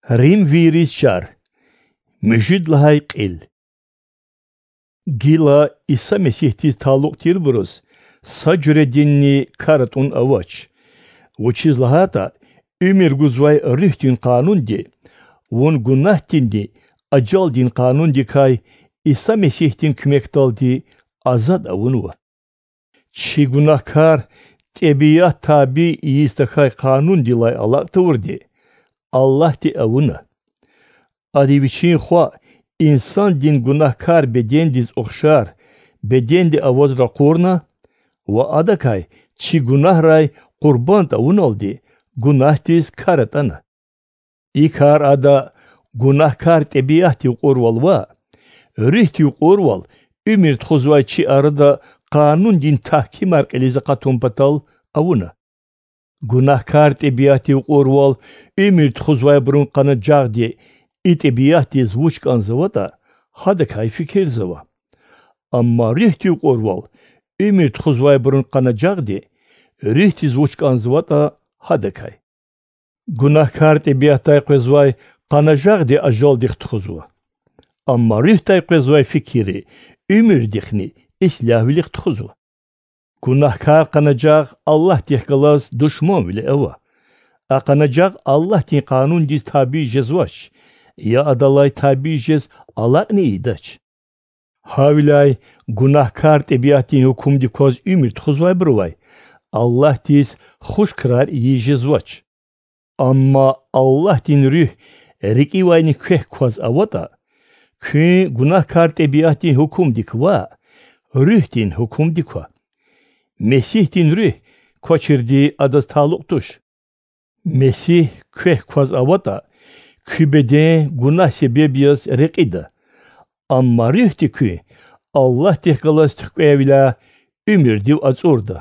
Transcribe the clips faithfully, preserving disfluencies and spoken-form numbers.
Римвийриз чар. Муьжуьд лагьай кьил. Гила Иса Месигьдиз талукь тирбуруз са жуьрединни кар атӀун авач. Вучиз лагьайтӀа уьмуьр гузвай Руьгьдин къанунди вун гунагьдинни ажалдин къанундикай Иса Месигьдин куьмекдалди азад авунва. Чи гунагькар тӀебиат табий ийиз тахьай къанундилай алакь тавурди Аллагьди авуна. Ада Вичин Хва инсандин гунагькар бедендиз ухшар беденди аваз ракъурна ва Адакай чи гунагьрай къурбанд авуналди гунагьдиз кар атӀана. И кар Ада гунагькар тӀебиатдив кьурвал ваъ, Руьгьдив кьурвал уьмуьр тухузвай чи арада къанундин тагькимар кьилиз акъатун патал авуна. Гунагькар тӀебиатдив кьурвал уьмуьр тухузвайбурун къанажагъди и тӀебиатдиз вуч кӀанзаватӀа, гьадакай фикирзава. Амма Руьгьдив кьурвал уьмуьр тухузвайбурун къанажагъди Руьгьдиз вуч кӀанзаватӀа, гьадакай. Гунагькар тӀебиатдай къвезвай къанажагъди ажалдихъ тухузва. Амма Руьгьдай къвезвай фикирри уьмуьрдихъни ислягьвилихъ тухузва. Гунагькар къанажагъ Аллагьдихъ галаз душманвиле ава. А къанажагъ Аллагьдин къанундиз табий жезвач, я адалай табий жез алакьни ийидач. Гьавиляй гунагькар тӀебиатдин гьукумдик кваз уьмуьр тухузвайбурувай Аллагьдиз хуш крар ийиз жезвач. Амма Аллагьдин Руьгь рикӀивайни квехь кваз аватӀа, куьн гунагькар тӀебиатдин гьукумдик ваъ, Руьгьдин гьукумдик ква. Месигьдин Руьгь квачирди адаз талукь туш. Месигь квехь кваз аватӀа, куь беден гунагь себеб яз рекьида, амма Руьгьди куьн Аллагьдихъ галаз туькӀвейвиляй уьмуьрдив ацӀурда.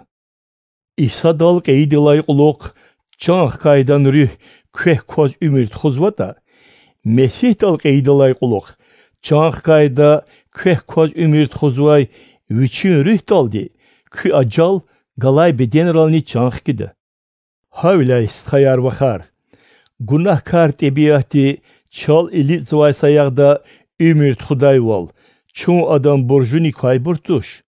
Исадал кьейидалай кьулухъ чан хкайдан Руьгь квехь кваз уьмуьр тухузватӀа, Месигьдал кьейидалай кьулухъ чан хкайда квехь кваз уьмуьр тухузвай Вичин Руьгьдалди куь ажал галай беденрални чан хкида. Гьавиляй, стхаяр-вахар, гунагькар тӀебиатди чал илитӀзавай саягъда уьмуьр тухудайвал, чун адан буржуни квайбур туш.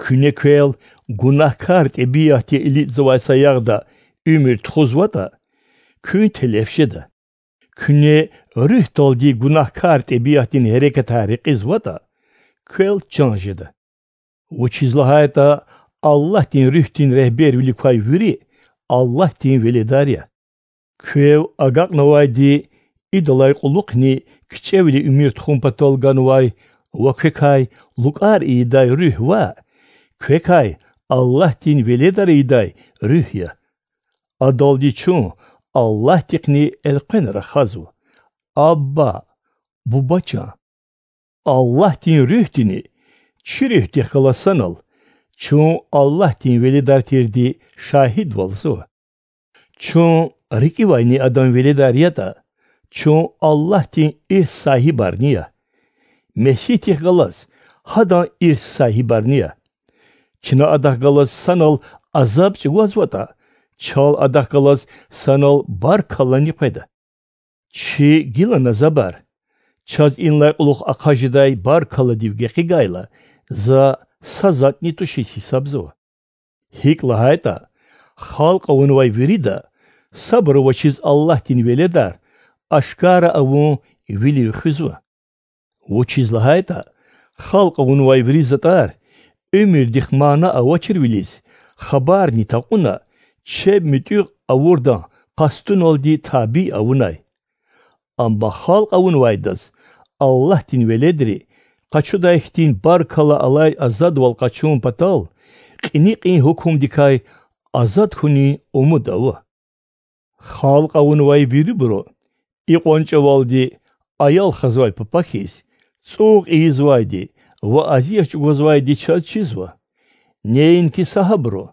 Куьне квел гунагькар тӀебиатди илитӀзавай саягъда уьмуьр тухузватӀа, куьн телеф жеда. Куьне Руьгьдалди гунагькар тӀебиатдин гьерекатар рекьизватӀа, квел чан жеда. Вучиз лагьайтӀа Аллагьдин Руьгьдин регьбервилик квай вири Аллагьдин веледар я. Квев агакьнавайди идалай кьулухъни кичӀевиле уьмуьр тухун патал ганвай ва квекай лукӀар ийидай Руьгь ваъ, квекай Аллагьдин веледар ийидай Руьгь я. Адалди чун Аллагьдихъни элкъвена рахазва: Абба, Буба чан! Аллагьдин Руьгьдини чи руьгьдихъ галаз санал чун Аллагьдин веледар тирди шагьидвалзава. Чун рикӀивайни Адан веледар ятӀа, чун Аллагьдин ирс сагьибарни я. Месигьдихъ галаз гьадан ирс сагьибарни я. Чна Адахъ галаз санал азаб чӀугвазватӀа, чал Адахъ галаз санал баркаллани къведа. Чи гила назабар, чаз инлай кьулухъ ахъа жедай баркалладив гекъигайла, за са затӀни тушиз гьисабзава. ГьикӀ лагьайтӀа, халкь авунвай вирида сабур авачиз Аллагьдин веледар ашкара авун вилив хуьзва. Вучиз лагьайтӀа халкь авунвай вири затӀар уьмуьрдихъ мана авачирвилиз хабарни такьуна, чеб муьтӀуьгъ авурдан къастуналди табий авунай. Амма халкь авунвайдаз Аллагьдин веледри къачудай хьтин баркалла алай азадвал къачун патал кьиникьин гьукумдикай азад хьунин умуд ава. Халкь авунвай вирибуру икьван чӀавалди, аял хазвай папа хьиз, цӀугъ ийизвайди ва азият чӀугвазвайди чаз чизва. Неинки са гьабуру,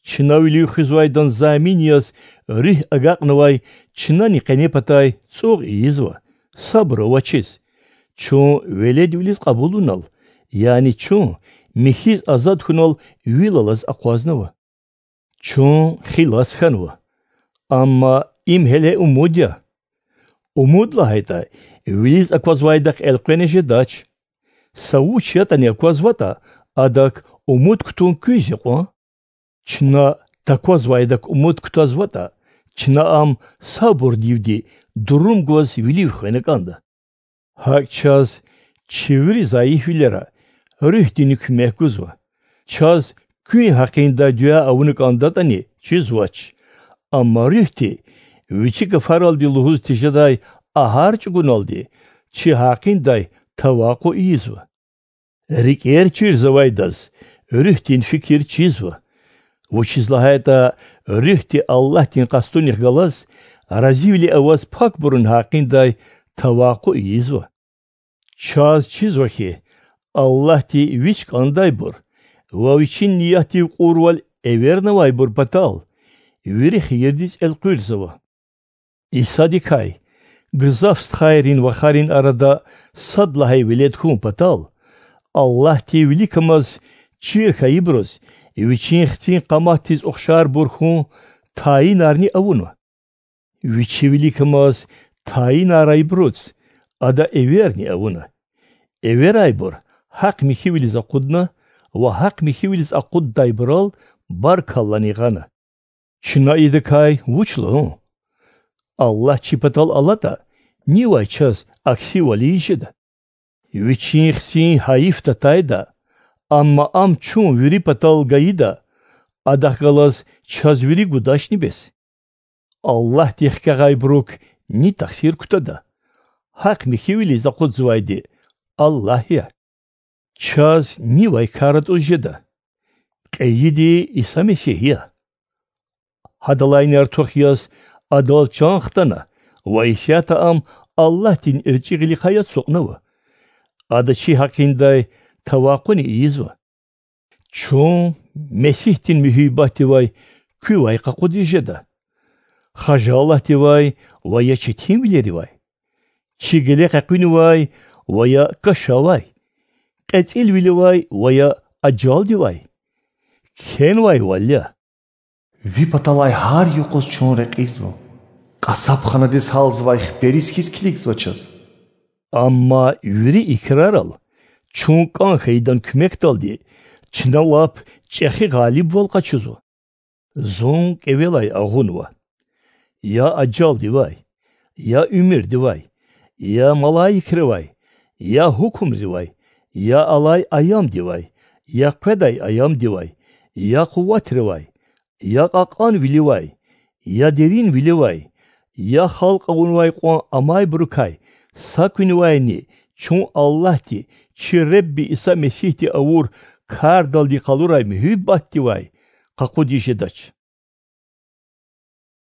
чна вилив хуьзвайдан замин яз Руьгь агакьнавай чнани къенепатай цӀугъ ийизва, сабур авачиз, чун веледвилиз кьабулунал, яни чун михьиз азад хьунал вил алаз акъвазнава. Чун хилас хьанва, амма им гьеле умуд я. Умуд лагьайтӀа, вилиз аквазвайдахъ элкъвена жедач. Са вуч ятӀани аквазватӀа, адак умуд кутун куьз я кьван? Чна таквазвайдак умуд кутазватӀа, чна ам сабурдивди дурум гваз вилив хвена кӀанда. ГьакӀ чаз, чи вири зайифвилера, Руьгьдини куьмек гузва. Чаз куьн гьакъиндай дуьа авуна кӀандатӀани, чизвач. Амма Руьгьди, Вичи гафаралди лугьуз тежедай агьар чӀугуналди, чи гьакъиндай тавакъу ийизва. РикӀер чирзавайдаз Руьгьдин фикир чизва, вучиз лагьайтӀа Руьгьди Аллагьдин къастунихъ галаз разивиле аваз пакбурун гьакъиндай тавакъу ийизва. Чаз чизва хьи, Аллагьди Вич кӀандайбур ва Вичин ниятдив кьурвал эвернавайбур патал вири хийирдиз элкъуьрзава. Исадикай гзаф стхайрин вахарин арада сад лагьай велед хьун патал, Аллагьди виликамаз чир хьайибуруз Вичин хцин къаматдиз ухшарбур хьун тайинарни авуна. Вичи виликамаз тайинарайбуруз Ада эверни авуна. Эверайбур гьахъ михьивилиз акъудна ва гьахъ михьивилиз акъуддайбурал баркаллани гъана. Чна идакай вуч лугьун? Аллагь чи патал алатӀа, нивай чаз аксивал ийиз жеда? Вичин Хцин гьайиф татайда, амма Ам чун вири патал гайида, Адахъ галаз чаз вири гудачни бес? Аллагьди хкягъайбурук ни тахсир кутада? Гьахъ михьивилиз акъудзавайди Аллагь я. Чаз нивай кар атӀуз жеда? Кьейиди Иса Месигь я. Гьадалайни артух яз Адал чан хтана ва исятда Ам Аллагьдин эрчӀи гъилихъай ацукьнава. Ада чи гьакъиндай тавакъуни ийизва. Чун Месигьдин муьгьуьббатдивай куьвай къакъудиз жеда? Хажалатдивай ва я четинвилеривай? Чи геле къекъуьнивай ва я кашавай? КьецӀилвиливай ва я ажалдивай? Кхьенвайвал я: Ви паталай гьар юкъуз чун рекьизва, кьасабханадиз гьалзавай хипериз хьиз килигзава чаз. Амма вири и крарал, чун кӀан хьайидан куьмекдалди, чна лап чӀехи гъалибвал къачузва. Зун кӀевелай агъунва: я ажалдивай, я уьмуьрдивай, я малаикривай, я гьукумривай, я алай аямдивай, я къведай аямдивай, я къуватривай, я кьакьанвиливай, я деринвиливай, я халкь авунвай кьван амайбурукай са куьнивайни чун Аллагьди, чи Ребби Иса Месигьди авур кардалди къалурай муьгьуьббатдивай къакъудиз жедач.